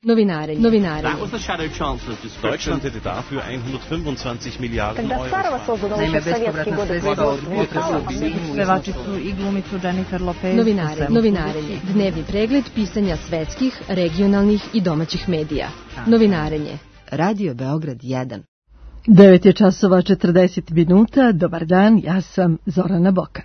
Novinarenje. Deutschland hätte dafür 125 Miliarden Euro. Naime, bespovratna sredstva od pevačicu i glumicu Jennifer Lopez. Novinarenje. Dnevni pregled pisanja svetskih, regionalnih i domaćih medija. Novinarenje. Radio Beograd 1. 9 je časova 40 minuta. Dobar dan, ja sam Zorana Bokan.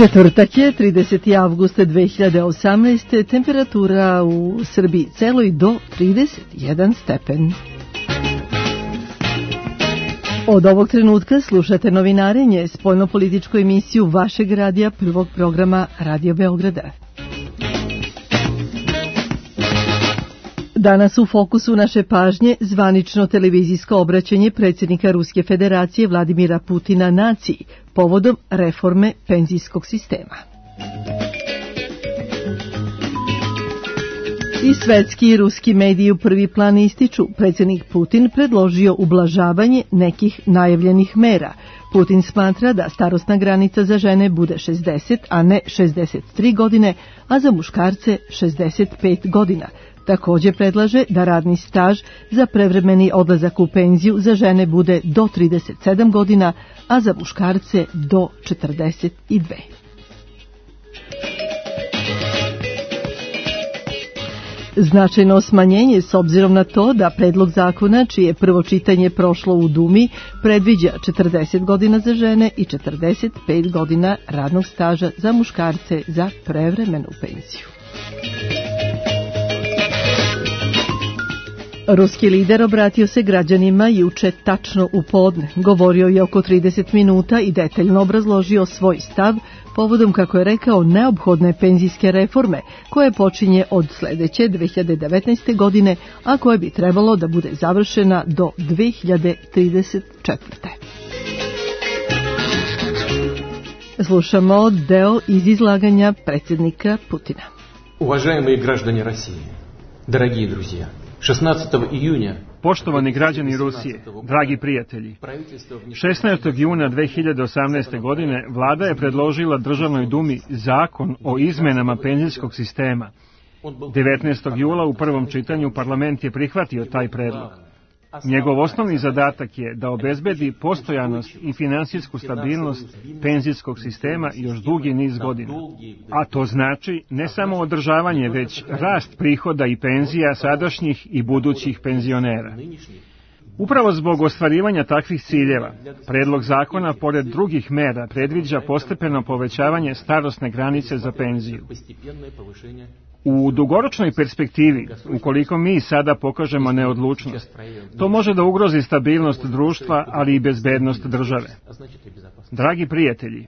Četvrtak je, 30. avgusta 2018. Temperatura u Srbiji celoj do 31 stepen. Od ovog trenutka slušate novinarenje, spoljnopolitičku emisiju vašeg radija, prvog programa Radio Beograda. Danas u fokusu naše pažnje zvanično televizijsko obraćanje predsjednika Ruske federacije Vladimira Putina naciji povodom reforme penzijskog sistema. I svetski i ruski mediji u prvi plan ističu, predsjednik Putin predložio ublažavanje nekih najavljenih mera. Putin smatra da starosna granica za žene bude 60, a ne 63 godine, a za muškarce 65 godina. Također predlaže da radni staž za prevremeni odlazak u penziju za žene bude do 37 godina, a za muškarce do 42. Značajno smanjenje s obzirom na to da predlog zakona, čije prvo čitanje prošlo u Dumi, predviđa 40 godina za žene i 45 godina radnog staža za muškarce za prevremenu penziju. Ruski lider obratio se građanima juče tačno u podne. Govorio je oko 30 minuta i detaljno obrazložio svoj stav povodom, kako je rekao, neophodne penzijske reforme koje počinje od sljedeće 2019. godine, a koje bi trebalo da bude završena do 2034. Slušamo deo iz izlaganja predsjednika Putina. Уважаемые граждане России, дорогие друзья, 16. июня Poštovani građani Rusije, dragi prijatelji, 16. juna 2018. godine vlada je predložila Državnoj dumi zakon o izmenama penzijskog sistema. 19. jula u prvom čitanju parlament je prihvatio taj predlog. Njegov osnovni zadatak je da obezbedi postojanost i finansijsku stabilnost penzijskog sistema još dugi niz godina. A to znači ne samo održavanje, već rast prihoda i penzija sadašnjih i budućih penzionera. Upravo zbog ostvarivanja takvih ciljeva, predlog zakona, pored drugih mera, predviđa postepeno povećavanje starosne granice za penziju. U dugoročnoj perspektivi, ukoliko mi sada pokažemo neodlučnost, to može da ugrozi stabilnost društva, ali i bezbednost države. Dragi prijatelji,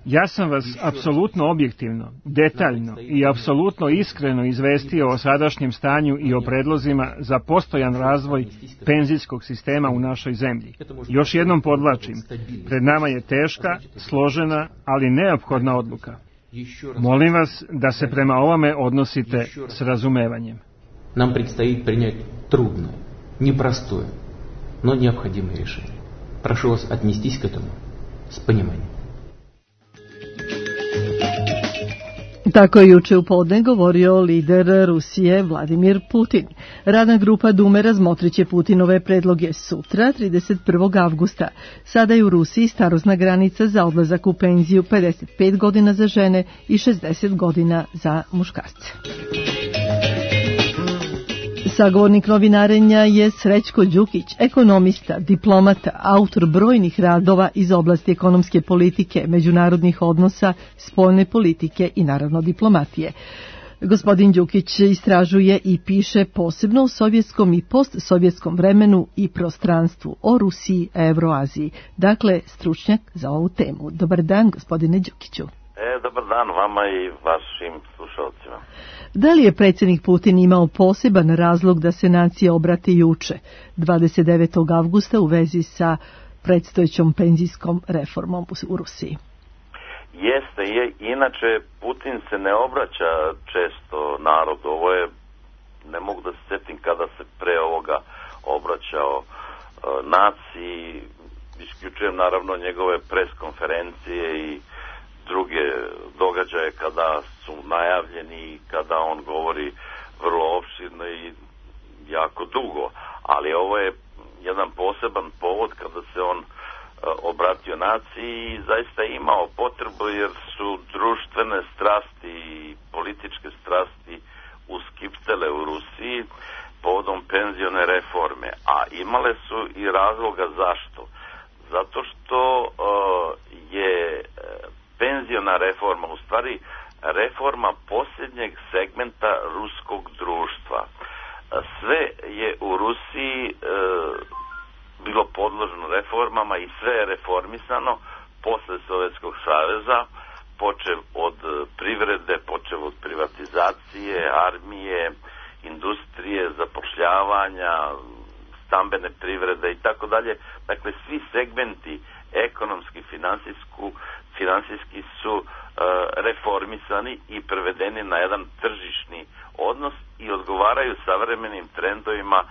ja sam vas apsolutno objektivno, detaljno i apsolutno iskreno izvestio o sadašnjem stanju i o predlozima za postojan razvoj penzijskog sistema u našoj zemlji. Još jednom podvlačim, pred nama je teška, složena, ali neophodna odluka. Molim vas da se prema ovome odnosite s razumevanjem. Нам предстоит принять трудное, непростое, но необходимое решение. Прошу вас отнестись к этому с пониманием. Tako je juče u podne govorio lider Rusije Vladimir Putin. Radna grupa Dume razmotrit će Putinove predloge sutra, 31. avgusta. Sada je u Rusiji starosna granica za odlazak u penziju 55 godina za žene i 60 godina za muškarce. Sagovornik novinarenja je Srećko Đukić, ekonomista, diplomata, autor brojnih radova iz oblasti ekonomske politike, međunarodnih odnosa, spoljne politike i naravno diplomatije. Gospodin Đukić istražuje i piše posebno o sovjetskom i postsovjetskom vremenu i prostranstvu, o Rusiji, Evroaziji. Dakle, stručnjak za ovu temu. Dobar dan, gospodine Đukiću. Dobar dan vama i vašim slušalcima. Da li je predsjednik Putin imao poseban razlog da se nacija obrati juče, 29. avgusta, u vezi sa predstojećom penzijskom reformom u Rusiji? Inače Putin se ne obraća često narodu, ovo je obećao naciji. Isključujem naravno njegove pres konferencije i druge događaje kada su najavljeni i kada on govori vrlo opširno i jako dugo. Ali ovo je jedan poseban povod kada se on obratio naciji i zaista imao potrebu, jer su društvene strasti i političke strasti uskiptele u Rusiji povodom penzione reforme, a imale su i razloga zašto. Zato što je penziona reforma u stvari reforma posljednjeg segmenta ruskog društva. Sve je u Rusiji bilo podloženo reformama i sve je reformisano posle Sovjetskog saveza, počev od privrede, počev od privatizacije, armije, industrije, zapošljavanja, stambene privrede i tako dalje. Dakle, svi segmenti ekonomski, finansijski su reformisani i prevedeni na jedan tržišni odnos i odgovaraju savremenim trendovima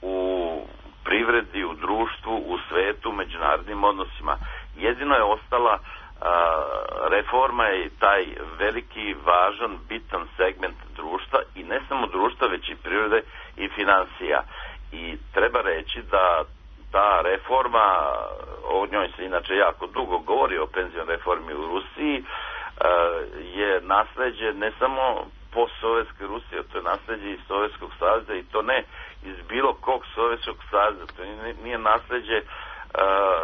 u privredi, u društvu, u svetu, u međunarodnim odnosima. Jedino je ostala reforma i taj veliki, važan, bitan segment društva i ne samo društva, već i privrede i finansija. I treba reći da ta reforma, o njoj se inače jako dugo govori, o penzionoj reformi u Rusiji, je nasleđe ne samo postsovjetske Rusije, to je nasleđe iz Sovjetskog saveza i to ne iz bilo kog Sovjetskog saveza, to nije nasleđe,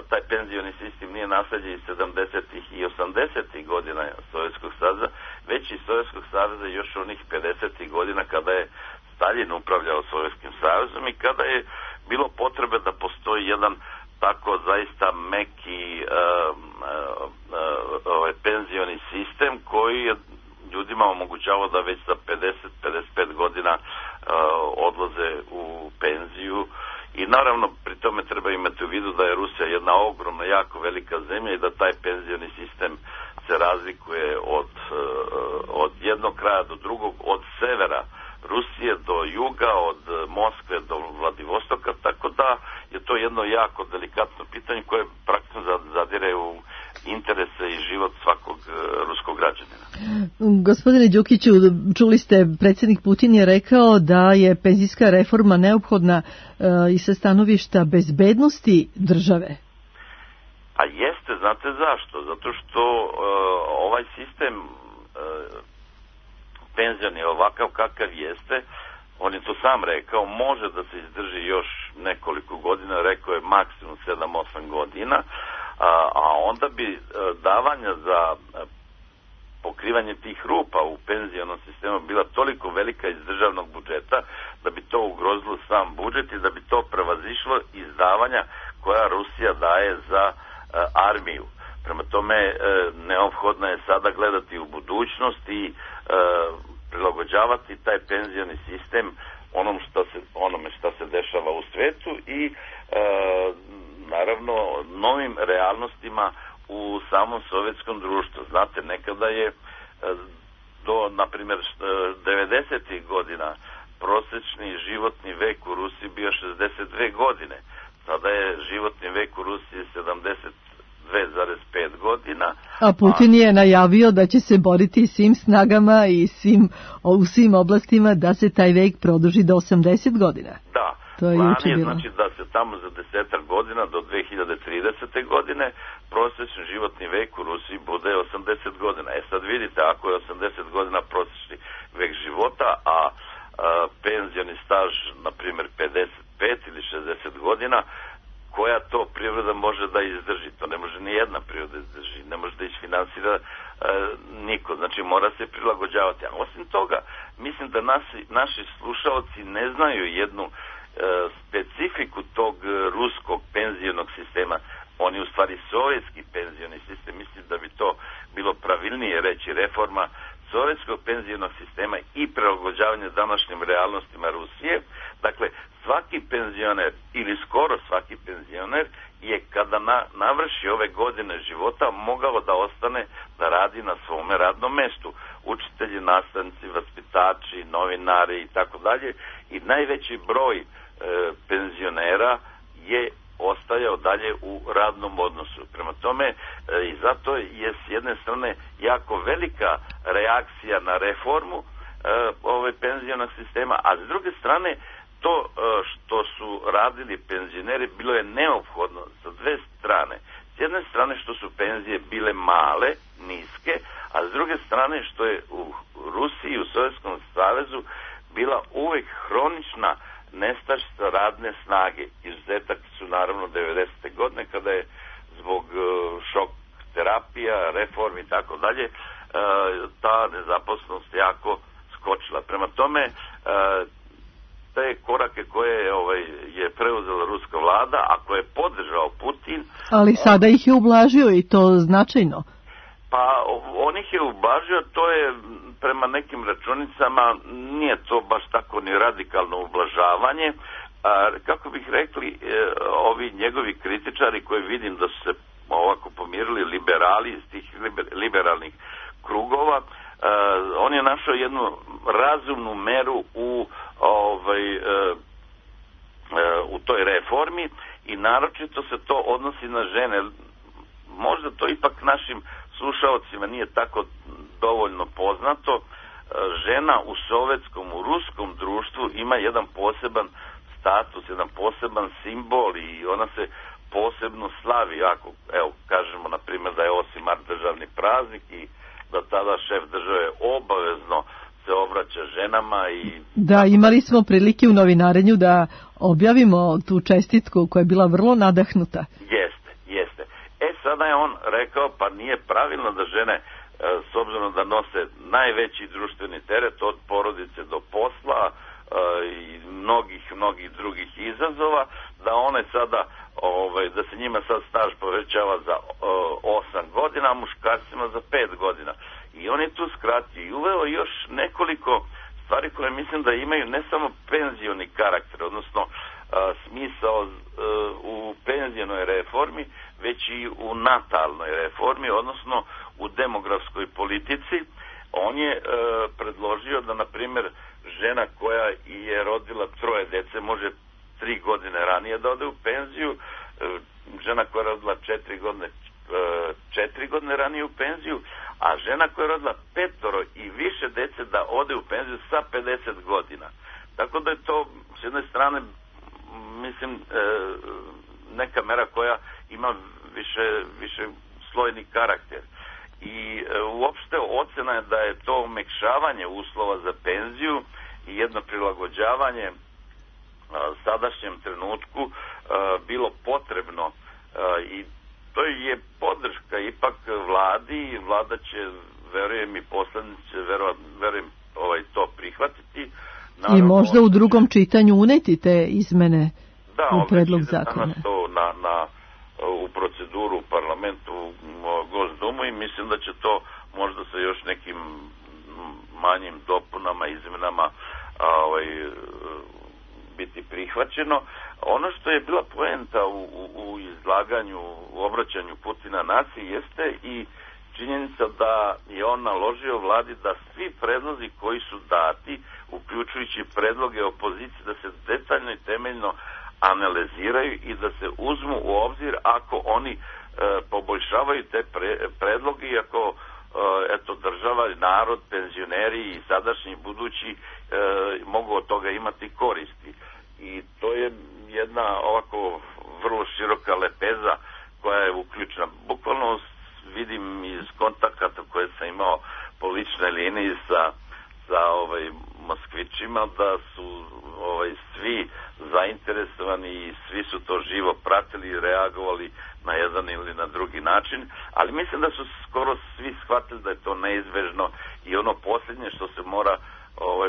taj penzioni sistem nije nasleđe iz 70. i 80. godina Sovjetskog saveza, već iz Sovjetskog saveza još onih 50. godina kada je Stalin upravljao Sovjetskim savezom i kada je bilo potrebe da postoji jedan tako zaista meki penzioni sistem koji je ljudima omogućavao da već za 50-55 godina odlaze u penziju. I naravno pri tome treba imati u vidu da je Rusija jedna ogromna, jako velika zemlja i da taj penzioni sistem se razlikuje od jednog kraja do drugog, od severa Rusije do juga, od Moskve do Vladivostoka, tako da je to jedno jako delikatno pitanje koje praktično zadire u interese i život svakog ruskog građanina. Gospodine Đukiću, čuli ste, predsjednik Putin je rekao da je penzijska reforma neophodna i sa stanovišta bezbednosti države. A jeste, znate zašto? Zato što ovaj sistem penzioni ovakav kakav jeste, on je to sam rekao, može da se izdrži još nekoliko godina, rekao je maksimum 7-8 godina, a onda bi davanja za pokrivanje tih rupa u penzionom sistemu bila toliko velika iz državnog budžeta da bi to ugrozilo sam budžet i da bi to prevazišlo izdavanja koja Rusija daje za armiju. Prema tome, neophodno je sada gledati u budućnost i prilagođavati taj penzioni sistem onome što se dešava u svetu i naravno novim realnostima u samom sovjetskom društvu. Znate, nekada je do, na primjer, 90. godina prosječni životni vek u Rusiji bio 62 godine. Sada je životni vek u Rusiji 72,5 godina. A Putin je najavio da će se boriti svim snagama i u svim oblastima da se taj vek produži do 80 godina. Da, plan je znači da se tamo za 10 godina do 2030. godine prosječni životni vek u Rusiji bude 80 godina. Sad vidite, ako je 80 godina prosječni vek života, a penzioni staž, na primjer, 55 ili 60 godina, koja to privreda može da izdrži? To ne može ni jedna privreda izdrži, ne može da isfinansira niko, znači mora se prilagođavati. A osim toga, mislim da naši slušalci ne znaju jednu specifiku tog ruskog penzionog sistema. On je u stvari sovjetski penzioni sistem, mislim da bi to bilo pravilnije reći reforma sovjetskog penzionog sistema i prilagođavanje današnjim realnostima Rusije. Dakle, svaki penzioner ili skoro svaki penzioner je kada navrši ove godine života mogao da ostane da radi na svome radnom mestu. Učitelji, nastavnici, vaspitači, novinari i tako dalje. I najveći broj penzionera je ostajao dalje u radnom odnosu. Prema tome, i zato je s jedne strane jako velika reakcija na reformu penzionog sistema, a s druge strane to što su radili penzioneri bilo je neophodno sa dve strane. S jedne strane što su penzije bile male, niske, a s druge strane što je u Rusiji i u Sovjetskom savezu bila uvek hronična nestašica radne snage. Izuzetak su naravno 90. godine kada je zbog šok terapija, reformi i tako dalje ta nezaposlenost jako skočila. Prema tome, te korake koje je preuzela ruska vlada, a koje je podržao Putin... Ali sada ih je ublažio i to značajno. Pa on ih je ublažio, to je prema nekim računicama, nije to baš tako ni radikalno ublažavanje. Kako bih rekli, ovi njegovi kritičari koji vidim da su se ovako pomirili liberali iz tih liberalnih krugova, on je našao jednu razumnu meru u toj reformi i naročito se to odnosi na žene. Možda to ipak našim slušaocima nije tako dovoljno poznato. Žena u sovjetskom, u ruskom društvu ima jedan poseban status, jedan poseban simbol i ona se posebno slavi. Ako, evo, kažemo na primjer da je 8. mart državni praznik i da tada šef države obavezno se obraća ženama i... Da, imali smo prilike u novinarenju da objavimo tu čestitku koja je bila vrlo nadahnuta. Jeste. Sada je on rekao, pa nije pravilno da žene, s obzirom da nose najveći društveni teret od porodice do posla i mnogih drugih izazova, da one sada, da se njima sad staž povećava za 8 godina, a muškarcima za 5 godina. I on je tu skratio i uveo još nekoliko stvari koje mislim da imaju ne samo penzioni karakter, odnosno smisao u penzionoj reformi, već i u natalnoj reformi, odnosno u demografskoj politici. On je predložio da, na primjer, žena koja je rodila 3 dece može 3 godine ranije da ode u penziju, žena koja je rodila 4 godine 4 godine ranije u penziju, a žena koja je rodila 5 i više dece da ode u penziju sa 50 godina. Tako da je to s jedne strane, mislim, neka mera koja ima više slojni karakter. I uopšte ocena je da je to umekšavanje uslova za penziju i jedno prilagođavanje sadašnjem trenutku bilo potrebno i to je podrška ipak vladi i vlada će, verujem, i poslanici će verujem to prihvatiti. Naravno, i možda u drugom čitanju uneti te izmene u predlog zakona. U proceduru u parlamentu, u Gosdumu, i mislim da će to možda sa još nekim manjim dopunama, izmenama biti prihvaćeno. Ono što je bila poenta u izlaganju, u obraćanju Putina naciji jeste i činjenica da je on naložio vladi da svi predlozi koji su dati, uključujući predloge opozicije, da se detaljno i temeljno analiziraju i da se uzmu u obzir ako oni poboljšavaju te predloge i ako država, narod, penzioneri i sadašnji i budući mogu od toga imati koristi. I to je jedna ovako vrlo široka lepeza koja je uključena. Bukvalno vidim iz kontakata koje sam imao po ličnoj liniji sa Moskvićima da su svi zainteresovani i svi su to živo pratili i reagovali na jedan ili na drugi način, ali mislim da su skoro svi shvatili da je to neizbežno i ono posljednje što se mora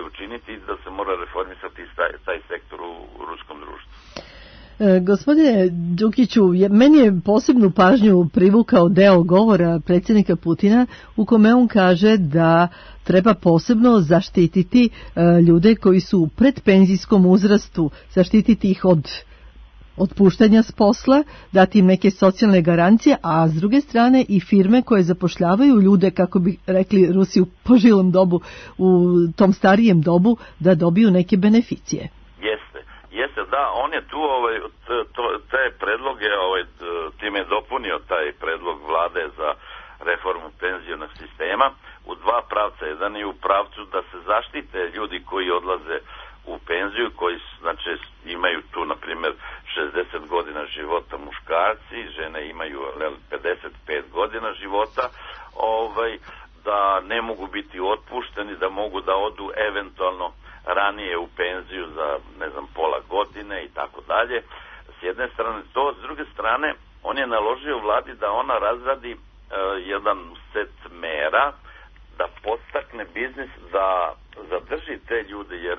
učiniti, da se mora reformisati taj sektor u ruskom društvu. Gospodine Đukiću, meni je posebnu pažnju privukao deo govora predsjednika Putina u kome on kaže da treba posebno zaštititi ljude koji su u predpenzijskom uzrastu, zaštititi ih od otpuštanja s posla, dati im neke socijalne garancije, a s druge strane i firme koje zapošljavaju ljude, kako bi rekli Rusi u požilom dobu, u tom starijem dobu, da dobiju neke beneficije. Jeste, da, on je tu te predloge, time je dopunio taj predlog vlade za reformu penzionog sistema u dva pravca. Jedan je u pravcu da se zaštite ljudi koji odlaze u penziju, koji znači imaju tu na primjer 60 godina života muškarci, žene imaju 55 godina života, da ne mogu biti otpušteni, da mogu da odu eventualno ranije u penziju za pola godine i tako dalje. S jedne strane to, s druge strane on je naložio vladi da ona razradi jedan set mera da podstakne biznis da zadrži te ljude, jer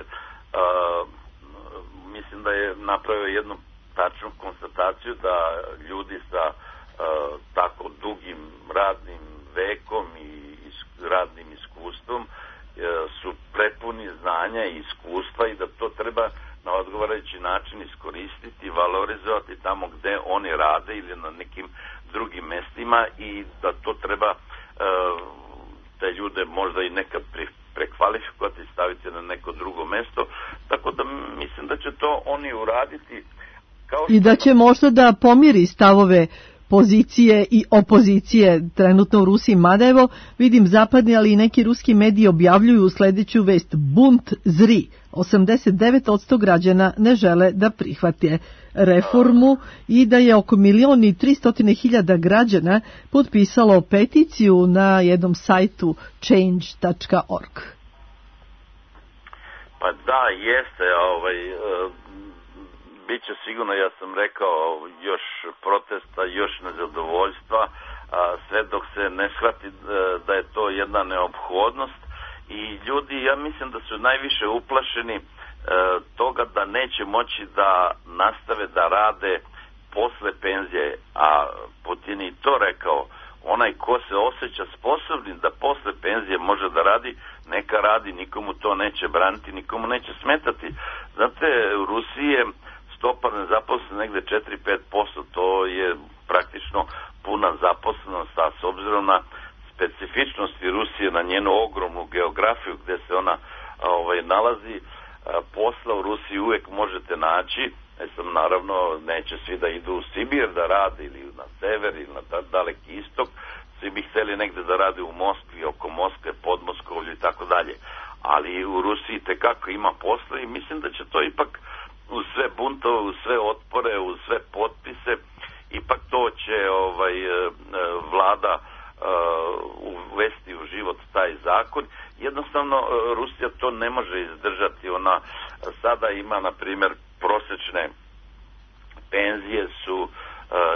mislim da je napravio jednu tačnu konstataciju da ljudi sa tako dugim radnim vekom i radnim iskustvom su prepuni znanja i iskustva i da to treba na odgovarajući način iskoristiti, valorizovati tamo gde oni rade ili na nekim drugim mestima i da to treba te ljude možda i nekad prekvalifikovati i staviti na neko drugo mesto, tako da mislim da će to oni uraditi i da će možda da pomiri stavove pozicije i opozicije trenutno u Rusiji, mada evo vidim zapadni, ali i neki ruski mediji objavljuju sledeću vest: bunt zri. 89% građana ne žele da prihvate reformu i da je oko 1.300.000 građana potpisalo peticiju na jednom sajtu change.org. Pa da, jeste, biće sigurno, ja sam rekao, još protesta, još nezadovoljstva, sve dok se ne shvati da je to jedna neophodnost i ljudi, ja mislim da su najviše uplašeni toga da neće moći da nastave da rade posle penzije, a Putin je to rekao, onaj ko se osjeća sposobnim da posle penzije može da radi, neka radi, nikomu to neće braniti, nikomu neće smetati. Znate, u Rusiji je stopa nezaposlenosti negde 4-5%, to je praktično puna zaposlenost, a s obzirom na specifičnosti Rusije, na njenu ogromnu geografiju gde se ona nalazi, posla u Rusiji uvek možete naći. Naravno, neće svi da idu u Sibir da rade ili na sever ili na daleki istok, svi bi hteli negde da rade u Moskvi, oko Moskve, pod Moskovlju i tako dalje. Ali u Rusiji tekako ima posla i mislim da će to ipak uz sve buntove, uz sve otpore, uz sve potpise, ipak to će vlada uvesti u život taj zakon. Jednostavno Rusija to ne može izdržati. Ona sada ima, na primjer, prosečne penzije su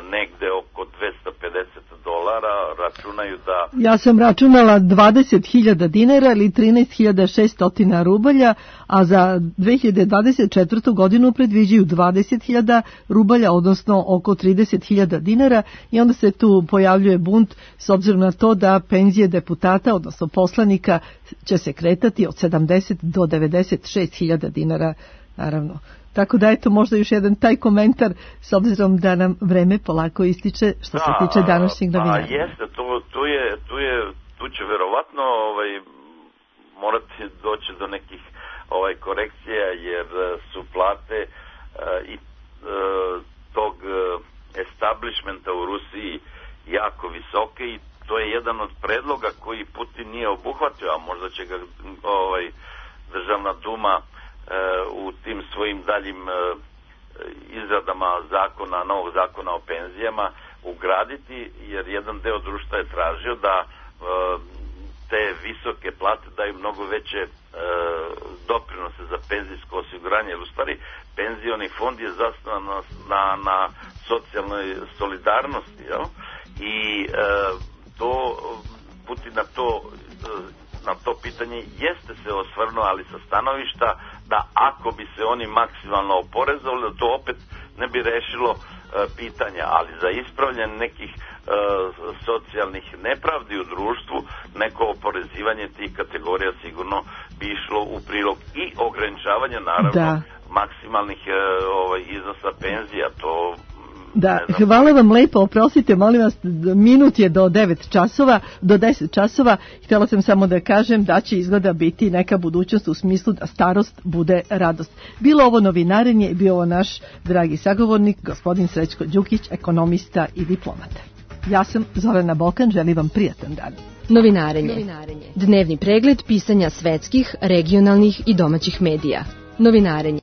negde oko $250, računaju da... Ja sam računala 20.000 dinara ili 13.600 rubalja, a za 2024. godinu predviđaju 20.000 rubalja, odnosno oko 30.000 dinara, i onda se tu pojavljuje bunt s obzirom na to da penzije deputata, odnosno poslanika, će se kretati od 70 do 96.000 dinara, naravno. Tako da eto možda još jedan taj komentar s obzirom da nam vreme polako ističe što se tiče današnjeg novinara. Jeste, tu će verovatno morati doći do nekih korekcija, jer su plate i tog establishmenta u Rusiji jako visoke i to je jedan od predloga koji Putin nije obuhvatio, a možda će ga Državna duma u tim svojim daljim izradama novog zakona o penzijama ugraditi, jer jedan deo društva je tražio da te visoke plate daju mnogo veće doprinose za penzijsko osiguranje, jer u stvari penzioni fond je zasnovan na socijalnoj solidarnosti, jel? I Putin na to pitanje jeste se osvrnuo, ali sa stanovišta da ako bi se oni maksimalno oporezovali, da to opet ne bi rešilo pitanja, ali za ispravljanje nekih socijalnih nepravdi u društvu, neko oporezivanje tih kategorija sigurno bi išlo u prilog i ograničavanje naravno maksimalnih iznosa penzija. To Da, hvala vam lepo, oprostite, molim vas, minut je do 9 časova, do 10 časova. Htjela sam samo da kažem da će izgleda biti neka budućnost u smislu da starost bude radost. Bilo ovo novinarenje i bio ovo naš dragi sagovornik, gospodin Srećko Đukić, ekonomista i diplomata. Ja sam Zorana Bokan, želim vam prijatan dan. Novinarenje. Dnevni pregled pisanja svetskih, regionalnih i domaćih medija. Novinarenje.